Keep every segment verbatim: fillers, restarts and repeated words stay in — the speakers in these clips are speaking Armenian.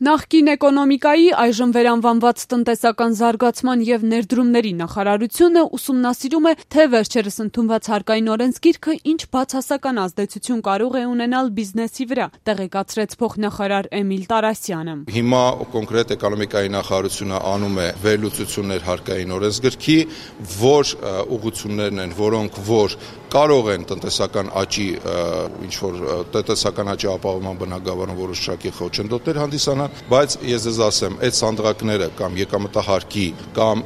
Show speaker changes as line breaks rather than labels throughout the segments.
Նախկին էկոնոմիկայի, այժմ վերանվանված տնտեսական զարգացման և ներդրումների նախարարությունը ուսումնասիրում է, թե վերջերս ընդունված հարկային օրենսգիրքը ինչ բացասական ազդեցություն կարող է ունենալ բիզնեսի վրա, տեղեկացրեց փոխնախարար Էմիլ Տարասյանը։
Հիմա կոնկրետ էկոնոմիկայի նախարարությունը անում է վերլուծություններ հարկային օրենսգրքի, որ ուղղություններն են, որոնք որ կարող են տնտեսական աճի, ինչ որ տնտեսական աճի ապահովման բնագավառում որոշ շարքի խոչընդոտներ հանդիսանան, բայց ես ձեզ ասեմ, այդ սանդղակները կամ եկամտահարկի կամ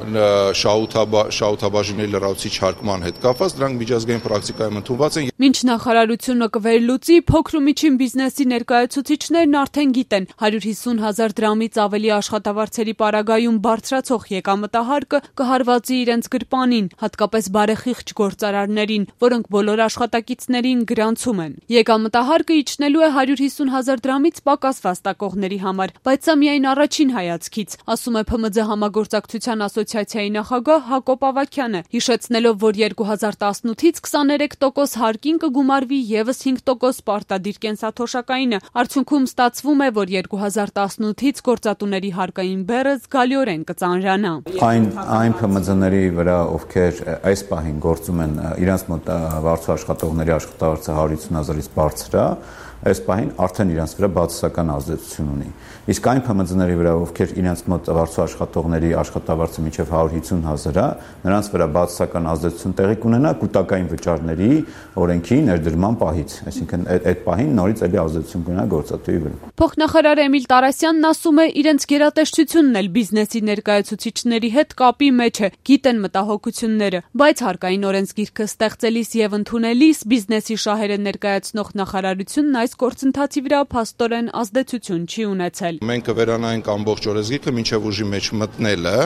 շահութաբաժինների լրացուցիչ հարկման հետ կապված, դրանք միջազգային պրակտիկայում ընդունված են։
Մինչ նախարարությունը կվերլուծի, փոքր ու միջին բիզնեսի ներկայացուցիչներն արդեն գիտեն, հարյուր հիսուն հազար դրամից ավելի աշխատավարձերի պարագայում բարձրացող եկամտահարկը կհարվածի իրենց գրպանին, հատկապես բարեխիղճ գործարարներին, որոնք բոլոր աշխատակիցներին գրանցում են։ Եկամտահարկը իջնելու է հարյուր հիսուն հազար դրամից պակաս վաստակողների համար, բայց սա միայն առաջին հայացքից, ասում է ՓՄՁ համագործակցության ասոցիացիայի նախագահ Հակոբ Ավագյանը, հիշեցնելով, որ երկու հազար տասնութից քսաներեք տոկոս հարկին կգումարվի ևս հինգ տոկոս պարտադիր կենսաթոշակայինը։ Արդյունքում ստացվում է, որ երկու հազար տասնութից գործատուների հարկային բեռը զգալիորեն կծանրանա։
Այն այն ՓՄԶ-ների վրա, ովքեր այս պահին գործում են, իրենց մոտ վարձու աշխատողների աշխատավարձը հարյուր հիսուն հազարից բարձր է, այս պահին արդեն իրենց վրա բացասական ազդեցություն ունի։ Իսկ այն ՓՄԶ-ների վրա, ովքեր իրենց մոտ վարձու աշխատողների աշխատավարձը մինչև հարյուր հիսուն հազար է, նրանց վրա բացասական ազդեցություն տեղի կունենա կൂട്ടակային վճարների օրենքի ներդրման պահից, այսինքն այդ պահին նորից էլի ազդեցություն կունենա գործատուի վրա։
Փոխնախարար Էմիլ Տարասյանն ասում է, իրենց գերատեսչությունն էլ բիզնեսի ներկայացուցիչների հետ կապի մեջ է, գիտեն մտահոգությունները, բայց հարկային օրենսգիրքը ստեղծելիս եւ ընդունելիս բիզնեսի շահերը ներկայացնող նախարարությունն այս գործընթացի վրա փաստորեն ազդեցություն չի ունեցել։
Մենք կվերանայինք ամբողջ օրենսգիրքը մինչև ուժի մեջ մտնելը,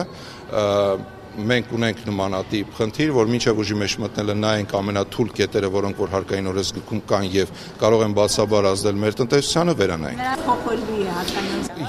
մենք ունենք նմանատիպ խնդիր, որ մինչև ուժի մեջ մտնելը նայենք ամենաթույլ կետերը, որոնք որ հարկային օրենսգրքում կան եւ կարող են բացաբար ազդել մեր տնտեսությանը, վերանայենք։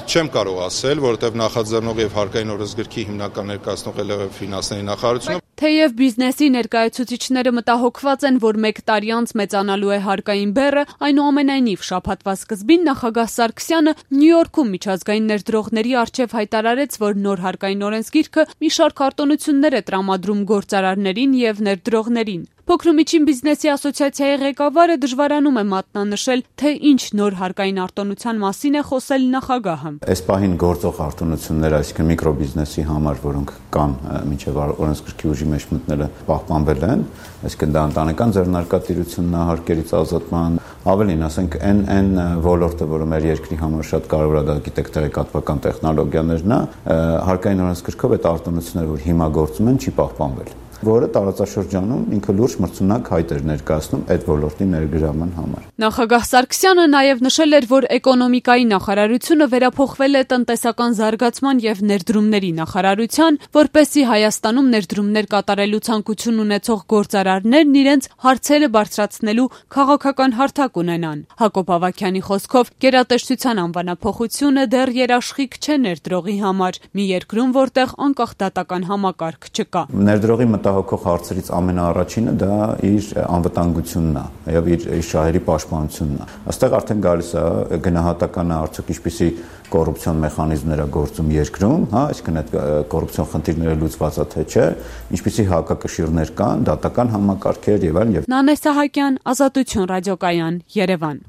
Չեմ կարող ասել, որովհետեւ նախաձեռնող եւ հարկային օրենսգրքի հիմնական ներկայացնող էլ է ֆինանսների նախարարությունը։
Թեև բիզնեսի ներկայացուցիչները մտահոգված են, որ մեկ տարի անց մեծանալու է հարկային բեռը, այնուամենայնիվ շաբաթվա սկզբին նախագահ Սարգսյանը Նյու Յորքում միջազգային ներդրողների առջև հայտարարեց, որ նոր հարկային օրենսգիրքը մի շարք արտոնություններ է տրամադրում գործարարներին եւ ներդրողներին։ Փոքր ու միջին բիզնեսի ասոցիացիայի ղեկավարը դժվարանում է մատնանշել, թե ինչ նոր հարկային արտոնության մասին է խոսել նախագահը։
Այս պահին գործող արտոնությունները, այսինքն միկրոբիզնեսի համար, որոնք կան մինչև օրենսգրքի ուժի մեջ մտնելը, պահպանվել են, այսինքն դա ընտանեկան ձեռնարկատիրությունն է հարկերից ազատման, ավելին, ասենք, այն այն ոլորտը, որը մեր երկրի համար շատ կարևոր է, դա գիտեք, տեղեկատվական տեխնոլոգիաներն է, հարկային օրենսգրքով այդ արտոնությունները, որ հիմա գործում են, չի պահպանվել, որը տարածաշրջանում ինքը լուրջ մրցունակ հայտ էր ներկայացնում այդ ոլորտի ներգրավման համար։
Նախագահ Սարգսյանը նաև նշել էր, որ էկոնոմիկայի նախարարությունը վերափոխվել է տնտեսական զարգացման եւ ներդրումների նախարարության, որպեսզի Հայաստանում ներդրումներ կատարելու ցանկություն ունեցող գործարարներն իրենց հարցերը բարձրացնելու քաղաքական հարթակ ունենան։ Հակոբ Ավագյանի խոսքով, գերատեսչության անվանափոխությունը դեռ երաշխիք չէ ներդրողի համար, մի երկրում, որտեղ անկախ դատական համակարգ չկա։
Ներդրողի մտահոգող հարցերից ամենաառաջինը դա իր անվտանգությունն է եւ իր շահերի պաշտպանությունն է։ Այստեղ արդեն գալիս է գնահատականը, արդյոք ինչպիսի կոռուպցիոն մեխանիզմներ է գործում երկրում, հա, այսինքն այդ կոռուպցիոն խնդիրները լուծված է թե չէ, ինչպիսի հակակշիռներ կան, դատական համակարգեր եւ այլն։
Նանե Սահակյան, Ազատություն ռադիոկայան, Երևան։